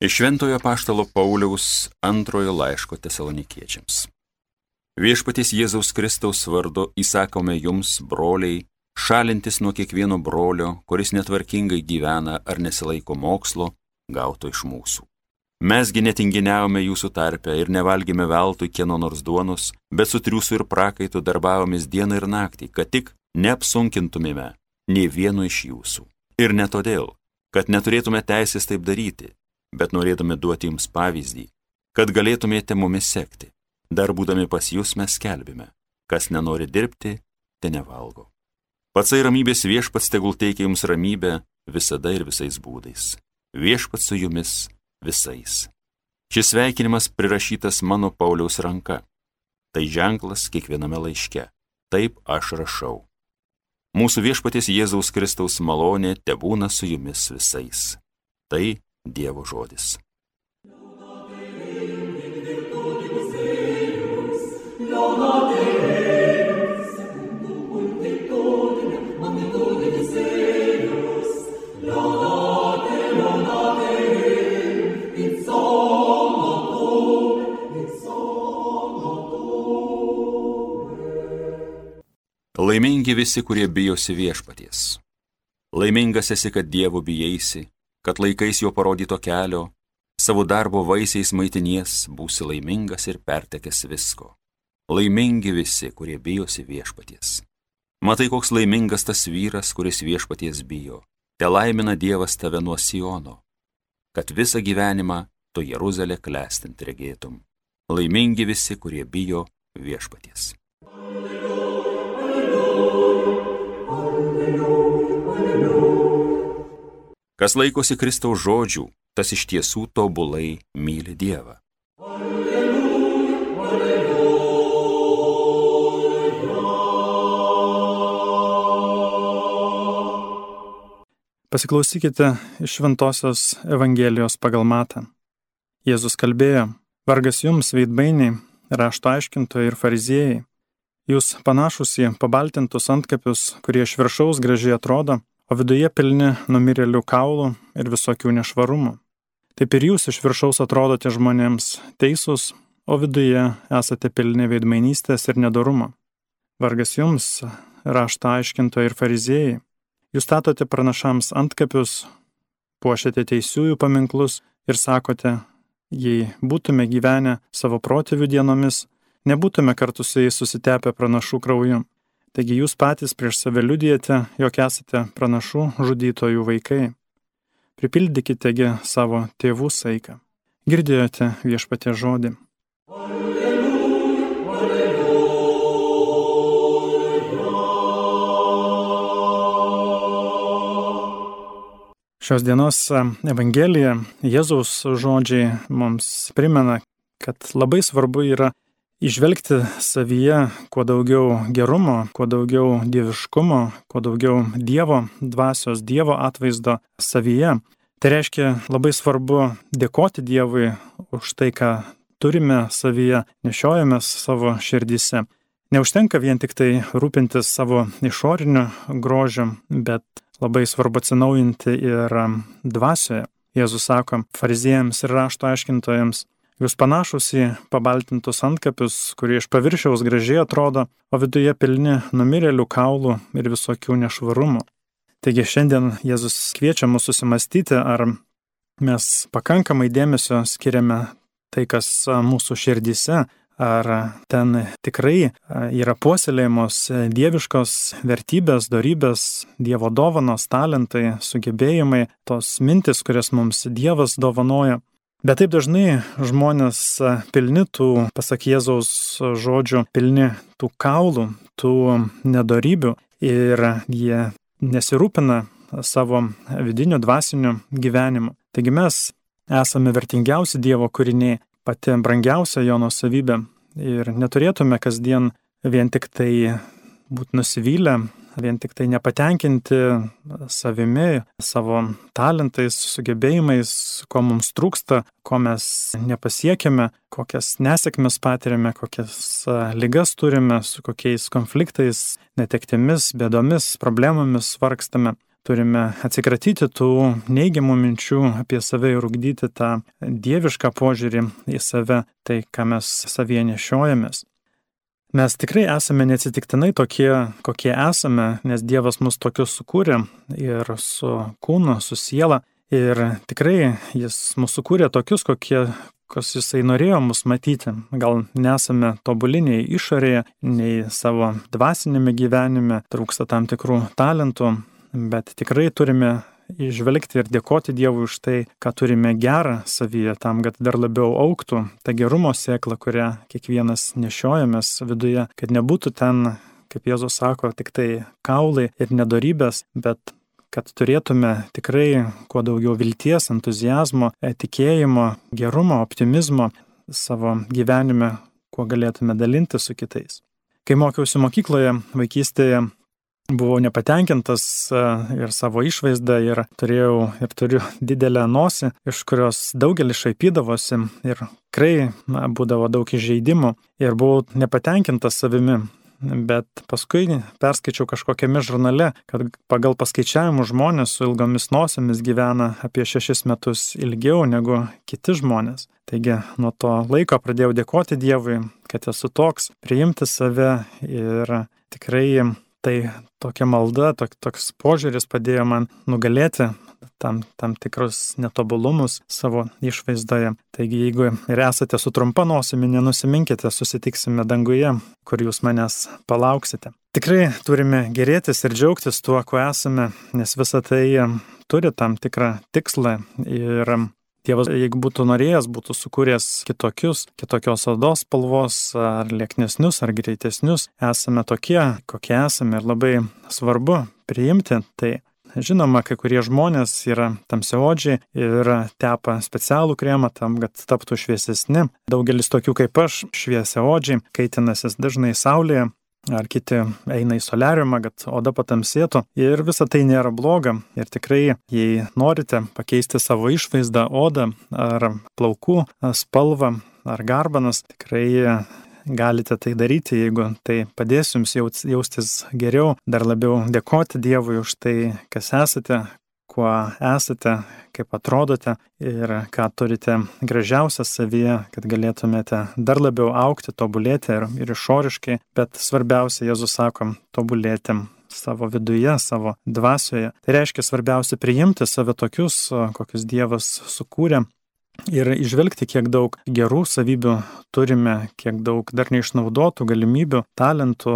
Iš Šventojo apaštalo Pauliaus antrojo laiško Tesalonikiečiams. Viešpaties Jėzaus Kristaus vardu įsakome jums, broliai, šalintis nuo kiekvieno brolio, kuris netvarkingai gyvena ar nesilaiko mokslo, gauto iš mūsų. Mesgi netinginiavome jūsų tarpe ir nevalgėme veltui kieno nors duonos, bet su triūsu ir prakaitu darbavomės dieną ir naktį, kad tik neapsunkintumėme nei vieno iš jūsų. Ir ne todėl, kad neturėtume teisės taip daryti, bet norėtume duoti jums pavyzdį, kad galėtumėte mumis sekti. Dar būdami pas jūs mes skelbime, kas nenori dirbti, te nevalgo. Patsai ramybės viešpats tegul teikia jums ramybę visada ir visais būdais. Viešpats su jumis visais. Šis sveikinimas prirašytas mano Pauliaus ranka. Tai ženklas kiekviename laiške. Taip aš rašau. Mūsų viešpaties Jėzaus Kristaus malonė tebūna su jumis visais. Tai Dievo žodis. Laimingi visi, kurie bijosi viešpaties. Laimingas esi, kad Dievo bijaisi, kad laikais jo parodyto kelio, savo darbo vaisiais maitinies, būsi laimingas ir pertekęs visko. Laimingi visi, kurie bijosi viešpaties. Matai, koks laimingas tas vyras, kuris viešpaties bijo. Te laimina Dievas tave nuo Siono, kad visą gyvenimą tu Jeruzalę klestint regėtum. Laimingi visi, kurie bijo viešpaties. Kas laikosi Kristaus žodžių, tas iš tiesų tobulai myli Dievą. Pasiklausykite iš Šventosios Evangelijos pagal Matą. Jėzus kalbėjo: vargas jums, veidmainiai, rašto aiškintojai ir fariziejai. Jūs panašus į pabaltintus antkapius, kurie iš viršaus gražiai atrodo, o viduje pilni numirėlių kaulų ir visokių nešvarumų. Taip ir jūs iš viršaus atrodote žmonėms teisūs, o viduje esate pilni veidmainystės ir nedorumo. Vargas jums, rašto aiškintojai ir fariziejai. Jūs statote pranašams antkapius, puošiate teisiųjų paminklus ir sakote: jei būtume gyvenę savo protėvių dienomis, nebūtume kartu su jais susitepę pranašų krauju. Taigi jūs patys prieš save liudijate, jog esate pranašų žudytojų vaikai. Pripildykitegi savo tėvų saiką. Girdėjote viešpaties žodį. Šios dienos Evangelija, Jėzaus žodžiai mums primena, kad labai svarbu yra įžvelgti savyje kuo daugiau gerumo, kuo daugiau dieviškumo, kuo daugiau Dievo dvasios, Dievo atvaizdo savyje. Tai reiškia, labai svarbu dėkoti Dievui už tai, ką turime savyje, nešiojamės savo širdyse. Neužtenka vien tik tai rūpintis savo išoriniu grožiu, bet labai svarbu atsinaujinti ir dvasioje. Jėzus sako fariziejams ir rašto aiškintojams: jūs panašus į pabaltintus antkapius, kurie iš paviršiaus gražiai atrodo, o viduje pilni numirėlių kaulų ir visokių nešvarumų. Taigi šiandien Jėzus kviečia mus susimastyti, ar mes pakankamai dėmesio skiriame tai, kas mūsų širdyse, ar ten tikrai yra puoselėjamos dieviškos vertybės, dorybės, Dievo dovanos, talentai, sugebėjimai, tos mintis, kurias mums Dievas dovanoja. Bet taip dažnai žmonės pilni tų, pasak Jėzaus žodžių, pilni tų kaulų, tų nedorybių ir jie nesirūpina savo vidiniu dvasiniu gyvenimu. Taigi mes esame vertingiausi Dievo kūriniai, pati brangiausia jo nuosavybė ir neturėtume kasdien vien tik tai būti nusivylę, vien tik tai nepatenkinti savimi, savo talentais, sugebėjimais, ko mums trūksta, ko mes nepasiekėme, kokias nesėkmes patiriame, kokias ligas turime, su kokiais konfliktais, netektimis, bėdomis, problemomis vargstame. turime atsikratyti tų neigiamų minčių apie save ir ugdyti tą dievišką požiūrį į save, tai ką mes savyje nešiojamės. Mes tikrai esame neatsitiktinai tokie, kokie esame, nes Dievas mus tokius sukūrė ir su kūnu, su siela. Ir tikrai Jis mus sukūrė tokius, kokius Jisai norėjo mus matyti. Gal nesame tobuli nei išorėje, nei savo dvasinėme gyvenime, trūksta tam tikrų talentų, bet tikrai turime įžvelgti ir dėkoti Dievui už tai, ką turime gerą savyje, tam, kad dar labiau augtų ta gerumo sėkla, kurią kiekvienas nešiojamės viduje, kad nebūtų ten, kaip Jėzus sako, tik tai kaulai ir nedorybės, bet kad turėtume tikrai kuo daugiau vilties, entuzijazmo, tikėjimo, gerumo, optimizmo savo gyvenime, kuo galėtume dalinti su kitais. Kai mokiausi mokykloje, vaikystėje, buvau nepatenkintas ir savo išvaizdą ir turiu didelę nosį, iš kurios daugelis šaipydavosi ir tikrai būdavo daug įžeidimų ir buvau nepatenkintas savimi. Bet paskui perskaičiau kažkokiame žurnale, kad pagal paskaičiavimų žmonės su ilgomis nosimis gyvena apie 6 metus ilgiau negu kiti žmonės. Taigi nuo to laiko pradėjau dėkoti Dievui, kad esu toks, priimti save ir tikrai tai tokia malda, toks požiūris padėjo man nugalėti tam tikrus netobulumus savo išvaizdoje. Taigi, jeigu ir esate su trumpa nosimi, nenusiminkite, susitiksime danguje, kur jūs manęs palauksite. Tikrai turime gerėtis ir džiaugtis tuo, kuo esame, nes visa tai turi tam tikrą tikslą ir Dievas, jeigu būtų norėjęs, būtų sukūręs kitokios odos spalvos, ar lieknesnius, ar greitesnius. Esame tokie, kokie esame ir labai svarbu priimti tai. Žinoma, kai kurie žmonės yra tamsiaodžiai ir tepa specialų kremą tam, kad taptų šviesesni. Daugelis tokių kaip aš, šviesiaodžiai, kaitinasis dažnai saulėje, ar kiti eina į soliariumą, kad oda patamsėtų. Ir visa tai nėra bloga. Ir tikrai, jei norite pakeisti savo išvaizdą, odą, ar plaukų spalvą, ar garbanas, tikrai galite tai daryti, jeigu tai padės jums jaustis geriau, dar labiau dėkoti Dievui už tai, kas esate, kuo esate, kaip atrodote ir ką turite gražiausia savyje, kad galėtumėte dar labiau augti, tobulėti ir išoriškai, bet svarbiausia, Jėzus sako, tobulėti savo viduje, savo dvasioje. Tai reiškia svarbiausia priimti save tokius, kokius Dievas sukūrė. Ir išvelgti, kiek daug gerų savybių turime, kiek daug dar neišnaudotų galimybių, talentų,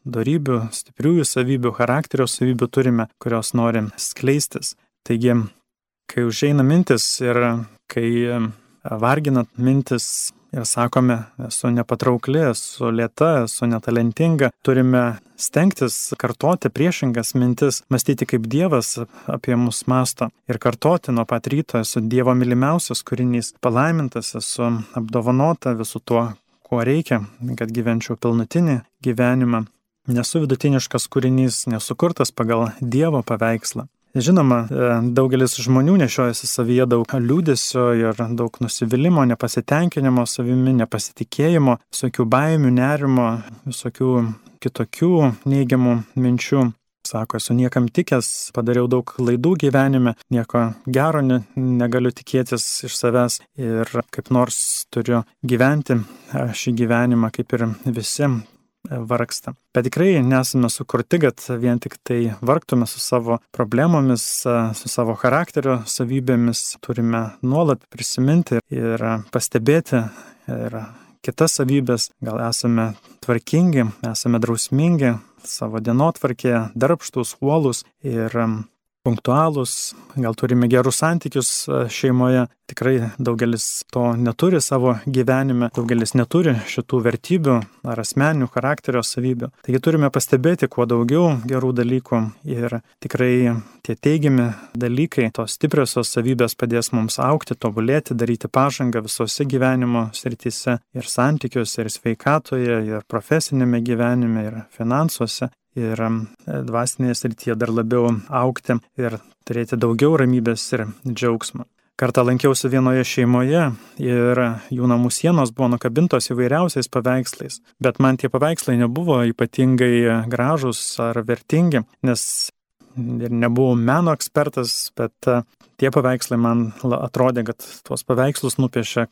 dorybių, stipriųjų savybių, charakterio savybių turime, kurios norim skleistis. Taigi, kai užeina mintis ir kai vargina mintis ir sakome, esu nepatraukli, esu lėta, esu netalentinga, turime stengtis kartoti priešingas mintis, mąstyti kaip Dievas apie mus mąsto ir kartoti nuo pat ryto, esu Dievo mylimiausias kūrinys, palaimintas, esu apdovanota visu tuo, ko reikia, kad gyvenčiau pilnutinį gyvenimą, nesu vidutiniškas kūrinys, nesukurtas pagal Dievo paveikslą. Žinoma, daugelis žmonių nešiojasi savyje daug liūdesio ir daug nusivylimų, nepasitenkinimo savimi, nepasitikėjimo, visokių baimių, nerimo, visokių kitokių neigiamų minčių. Sako, esu niekam tikęs, padariau daug klaidų gyvenime, nieko gero negaliu tikėtis iš savęs ir kaip nors turiu gyventi šį gyvenimą kaip ir visi vargsta. Bet tikrai nesame sukurti, kad vien tik tai vargtume su savo problemomis, su savo charakterio savybėmis. Turime nuolat prisiminti ir pastebėti ir kitas savybės. Gal esame tvarkingi, esame drausmingi savo dienotvarkėje, darbštūs, uolūs ir punktualūs, gal turime gerus santykius šeimoje. Tikrai daugelis to neturi savo gyvenime, daugelis neturi šitų vertybių ar asmeninių charakterio savybių. Taigi turime pastebėti kuo daugiau gerų dalykų ir tikrai tie teigiami dalykai, tos stipriosios savybės padės mums augti, tobulėti, daryti pažangą visose gyvenimo srityse ir santykiuose, ir sveikatoje, ir profesinėme gyvenime, ir finansuose. Ir dvasinėje srityje dar labiau augti ir turėti daugiau ramybės ir džiaugsmo. Kartą lankiausi vienoje šeimoje ir jų namų sienos buvo nukabintos įvairiausiais paveikslais, bet man tie paveikslai nebuvo ypatingai gražūs ar vertingi, nes ir nebuvau meno ekspertas, bet tie paveikslai man atrodė, kad tuos paveikslus nupiešė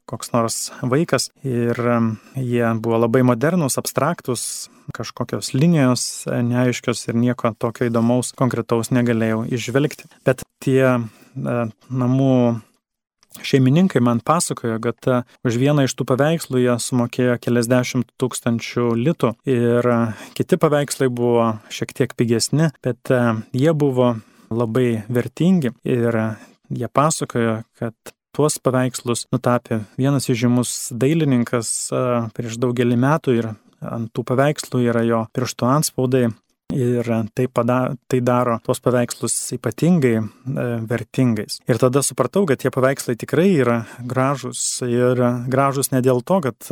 koks nors vaikas ir jie buvo labai modernus, abstraktus, kažkokios linijos neaiškios ir nieko tokio įdomaus, konkretaus negalėjau išvelgti. Bet tie namų šeimininkai man pasakojo, kad už vieną iš tų paveikslų jie sumokėjo keliasdešimt tūkstančių litų ir kiti paveikslai buvo šiek tiek pigesni, bet jie buvo labai vertingi ir jie pasakojo, kad tuos paveikslus nutapė vienas įžymus dailininkas prieš daugelį metų ir ant tų paveikslų yra jo pirštų antspaudai. Ir tai daro tuos paveikslus ypatingai vertingais. Ir tada supratau, kad tie paveikslai tikrai yra gražus. Ir gražus ne dėl to, kad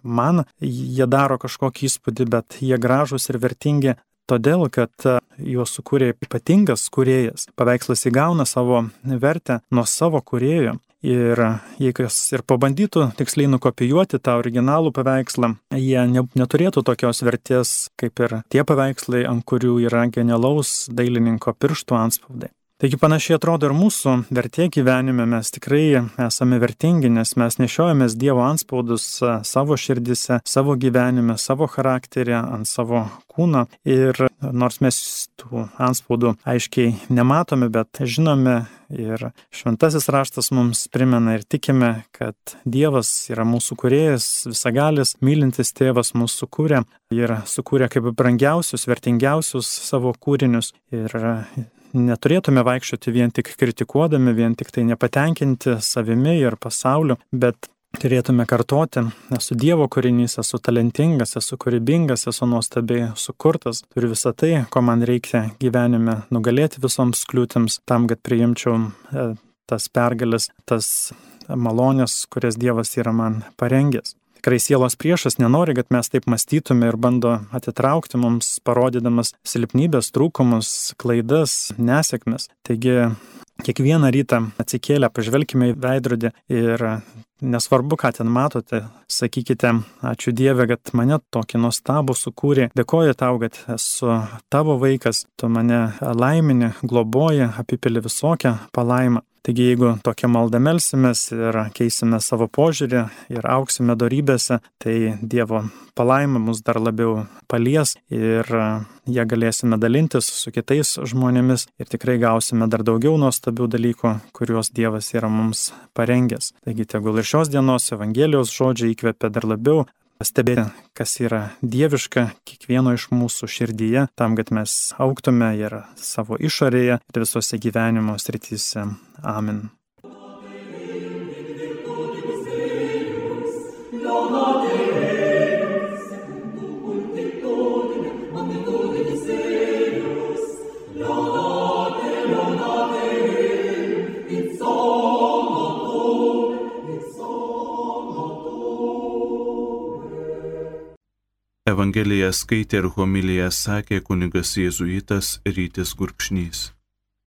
man jie daro kažkokį įspūdį, bet jie gražus ir vertingi todėl, kad juos sukūrė ypatingas kūrėjas. Paveikslas įgauna savo vertę nuo savo kūrėjo. Ir jei kas ir pabandytų tiksliai nukopijuoti tą originalų paveikslą, jie neturėtų tokios vertės kaip ir tie paveikslai, ant kurių yra genialaus dailininko pirštų antspaudai. Taigi panašiai atrodo ir mūsų vertė gyvenime, mes tikrai esame vertingi, nes mes nešiojamės Dievo antspaudus savo širdise, savo gyvenime, savo charakterį, ant savo kūno. Ir nors mes tų antspaudų aiškiai nematome, bet žinome ir šventasis raštas mums primena ir tikime, kad Dievas yra mūsų kūrėjas, visagalis, mylintis tėvas mūsų sukūrė ir sukūrė kaip brangiausius, vertingiausius savo kūrinius. Ir neturėtume vaikščioti vien tik kritikuodami, vien tik tai nepatenkinti savimi ir pasauliu, bet turėtume kartoti, esu Dievo kūrinys, esu talentingas, esu kūrybingas, esu nuostabiai sukurtas, turiu visą tai, ko man reikia gyvenime nugalėti visoms kliūtims, tam, kad priimčiau tas pergalės, tas malonės, kurias Dievas yra man parengęs. Tikrai sielos priešas nenori, kad mes taip mąstytume ir bando atitraukti mums, parodydamas silpnybės, trūkumus, klaidas, nesėkmes. Taigi, kiekvieną rytą atsikėlę, pažvelkime į veidrodį ir nesvarbu, ką ten matote, sakykite, ačiū Dieve, kad mane tokį nuostabų sukūrė, dėkoju tau, kad esu tavo vaikas, tu mane laimini, globoji, apipili visokią palaimą. Taigi, jeigu tokią maldą melsimės ir keisime savo požiūrį ir auksime dorybėse, tai Dievo palaima mus dar labiau palies ir ją galėsime dalintis su kitais žmonėmis ir tikrai gausime dar daugiau nuostabių dalykų, kuriuos Dievas yra mums parengęs. Taigi, tegul ir šios dienos Evangelijos žodžiai įkvepia dar labiau stebėti, kas yra dieviška kiekvieno iš mūsų širdyje, tam, kad mes augtume ir savo išorėje ir visose gyvenimo srityse. Amen. Evangeliją skaitė ir homiliją sakė kunigas jėzuitas Rytis Gurkšnys.